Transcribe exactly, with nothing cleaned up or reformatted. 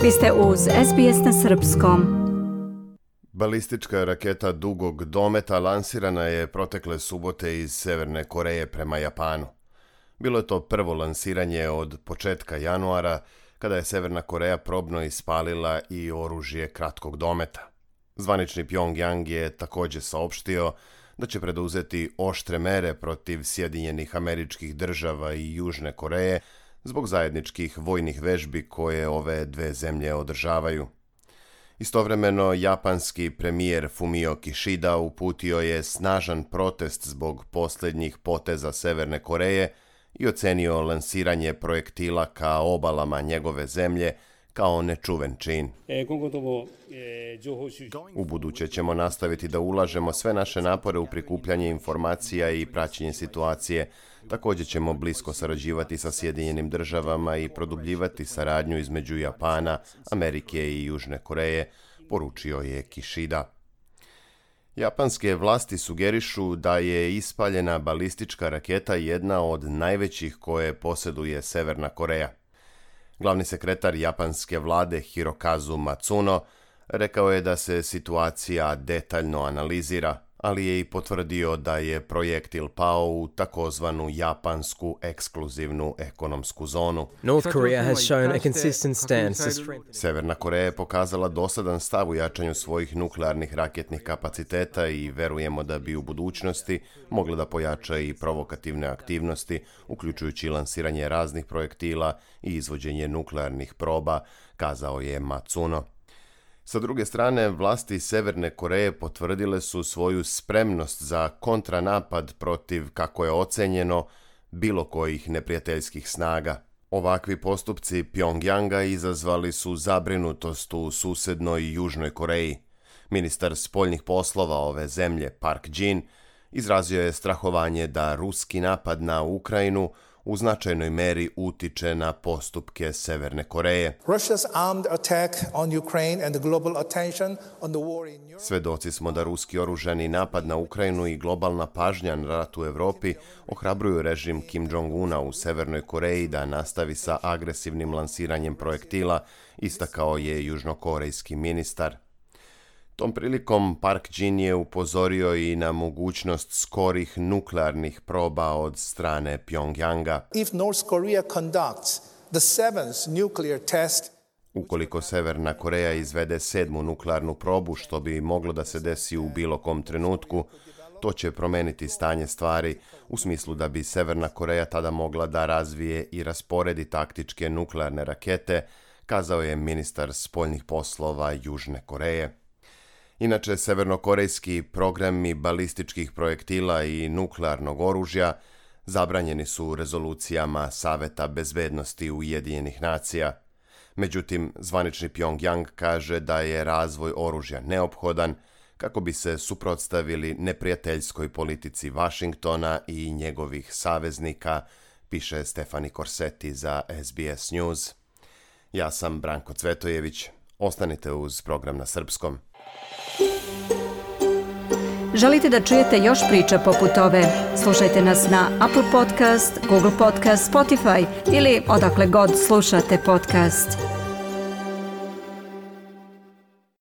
Vi ste uz es be es na srpskom. Balistička raketa dugog dometa lansirana je protekle subote iz Severne Koreje prema Japanu. Bilo je to prvo lansiranje od početka januara, kada je Severna Koreja probno ispalila i oružje kratkog dometa. Zvanični Pjongjang je također saopštio da će preduzeti oštre mere protiv Sjedinjenih Američkih Država i Južne Koreje zbog zajedničkih vojnih vežbi koje ove dve zemlje održavaju. Istovremeno, japanski premijer Fumio Kishida uputio je snažan protest zbog posljednjih poteza Severne Koreje i ocenio lansiranje projektila ka obalama njegove zemlje kao nečuven čin. Ubuduće ćemo nastaviti da ulažemo sve naše napore u prikupljanje informacija i praćenje situacije. Također ćemo blisko sarađivati sa Sjedinjenim Državama i produbljivati saradnju između Japana, Amerike i Južne Koreje, poručio je Kishida. Japanske vlasti sugerišu da je ispaljena balistička raketa jedna od najvećih koje posjeduje Severna Koreja. Glavni sekretar japanske vlade Hirokazu Matsuno rekao je da se situacija detaljno analizira, ali je i potvrdio da je projektil pao u takozvanu japansku ekskluzivnu ekonomsku zonu. North Korea has shown a consistent stance to strengthen. Severna Koreja je pokazala dosadan stav u jačanju svojih nuklearnih raketnih kapaciteta i verujemo da bi u budućnosti mogla da pojača i provokativne aktivnosti, uključujući lansiranje raznih projektila i izvođenje nuklearnih proba, kazao je Matsuno. Sa druge strane, vlasti Severne Koreje potvrdile su svoju spremnost za kontranapad protiv, kako je ocenjeno, bilo kojih neprijateljskih snaga. Ovakvi postupci Pjongjanga izazvali su zabrinutost u susednoj Južnoj Koreji. Ministar spoljnih poslova ove zemlje, Park Jin, izrazio je strahovanje da ruski napad na Ukrajinu u značajnoj meri utiče na postupke Severne Koreje. Svedoci smo da ruski oružani napad na Ukrajinu i globalna pažnja na rat u Europi ohrabruju režim Kim Jong-una u Severnoj Koreji da nastavi sa agresivnim lansiranjem projektila, istakao je južnokorejski ministar. Tom prilikom Park Jin je upozorio i na mogućnost skorih nuklearnih proba od strane Pjongjanga. If North Korea conducts the seventh nuclear test, Ukoliko Severna Koreja izvede sedmu nuklearnu probu, što bi moglo da se desi u bilo kom trenutku, to će promeniti stanje stvari u smislu da bi Severna Koreja tada mogla da razvije i rasporedi taktičke nuklearne rakete, kazao je ministar spoljnih poslova Južne Koreje. Inače, severnokorejski programi balističkih projektila i nuklearnog oružja zabranjeni su rezolucijama Saveta bezbednosti Ujedinjenih nacija. Međutim, zvanični Pjongjang kaže da je razvoj oružja neophodan kako bi se suprotstavili neprijateljskoj politici Vašingtona i njegovih saveznika, piše Stefani Korseti za es be es News. Ja sam Branko Cvetojević. Ostanite uz program na srpskom. Želite da čujete još priča poput ove? Slušajte nas na Apple Podcast, Google Podcast, Spotify ili odakle god slušate podcast.